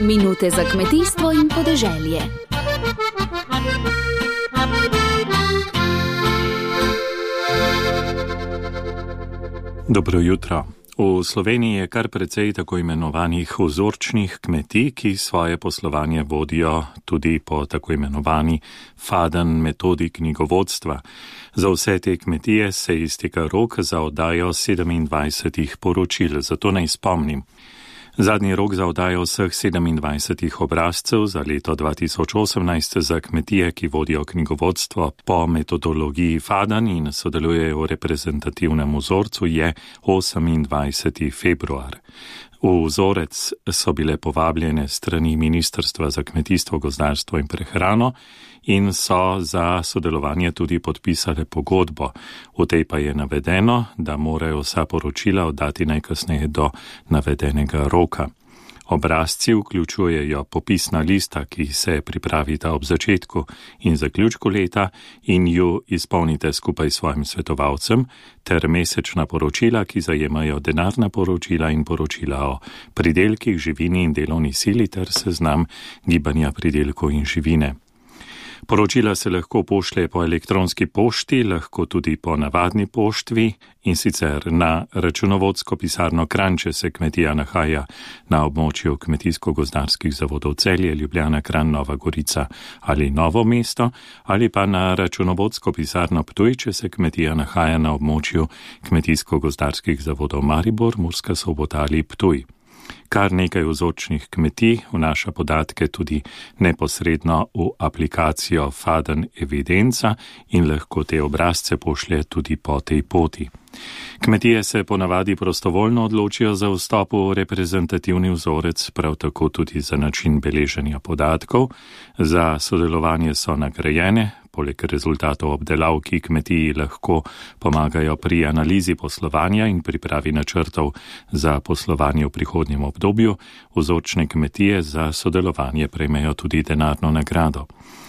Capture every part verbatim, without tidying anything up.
Minute za kmetijstvo in podeželje. Dobro jutro. V Sloveniji je kar precej tako imenovanih vzorčnih kmetij, ki svoje poslovanje vodijo tudi po tako imenovani Faden metodi knjigovodstva. Za vse te kmetije se izteka rok za oddajo sedemindvajsetih poročil, zato naj spomnim. Zadnji rok za oddajo vseh sedemindvajsetih obrazcev za leto dva tisoč osemnajst za kmetije, ki vodijo knjigovodstvo po metodologiji Faden in sodelujejo v reprezentativnem vzorcu, je osemindvajseti februar. V vzorec so bile povabljene strani Ministrstva za kmetijstvo, gozdarstvo in prehrano in so za sodelovanje tudi podpisale pogodbo. V tej pa je navedeno, da morajo vsa poročila oddati najkasneje do navedenega roka. Obrazci vključujejo popisna lista, ki se pripravita ob začetku in zaključku leta in ju izpolnite skupaj s svojim svetovalcem, ter mesečna poročila, ki zajemajo denarna poročila in poročila o pridelkih, živini in delovni sili ter seznam gibanja pridelkov in živine. Poročila se lahko pošlje po elektronski pošti, lahko tudi po navadni poštvi in sicer na računovodsko pisarno Kranj, če se kmetija nahaja na območju kmetijsko-gozdarskih zavodov Celje, Ljubljana, Kranj, Nova Gorica ali Novo mesto, ali pa na računovodsko pisarno Ptuj, če se kmetija nahaja na območju kmetijsko-gozdarskih zavodov Maribor, Murska Sobota ali Ptuj. Kar nekaj vzorčnih kmetij vnaša podatke tudi neposredno v aplikacijo Faden evidenca in lahko te obrazce pošlje tudi po tej poti. Kmetije se ponavadi prostovoljno odločijo za vstop v reprezentativni vzorec, prav tako tudi za način beleženja podatkov. Za sodelovanje so nagrajene, poleg rezultatov obdelav, ki kmetiji lahko pomagajo pri analizi poslovanja in pripravi načrtov za poslovanje v prihodnjem obdobju, vzorčne kmetije za sodelovanje prejmejo tudi denarno nagrado.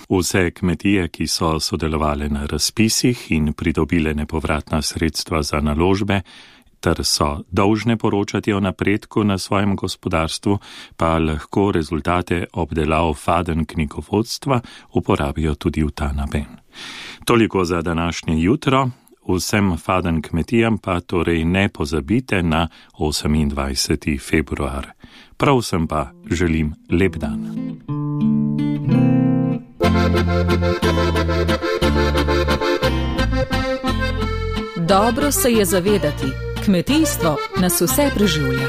Vse kmetije, ki so sodelovale na razpisih in pridobile nepovratna sredstva za naložbe, ter so dolžne poročati o napredku na svojem gospodarstvu, pa lahko rezultate obdelav Faden knjigovodstva uporabijo tudi v ta namen. Toliko za današnje jutro. Vsem Faden kmetijam pa torej ne pozabite na osemindvajseti februar. Prav vsem pa želim lep dan. Dobro se je zavedati, kmetijstvo nas vse preživlja.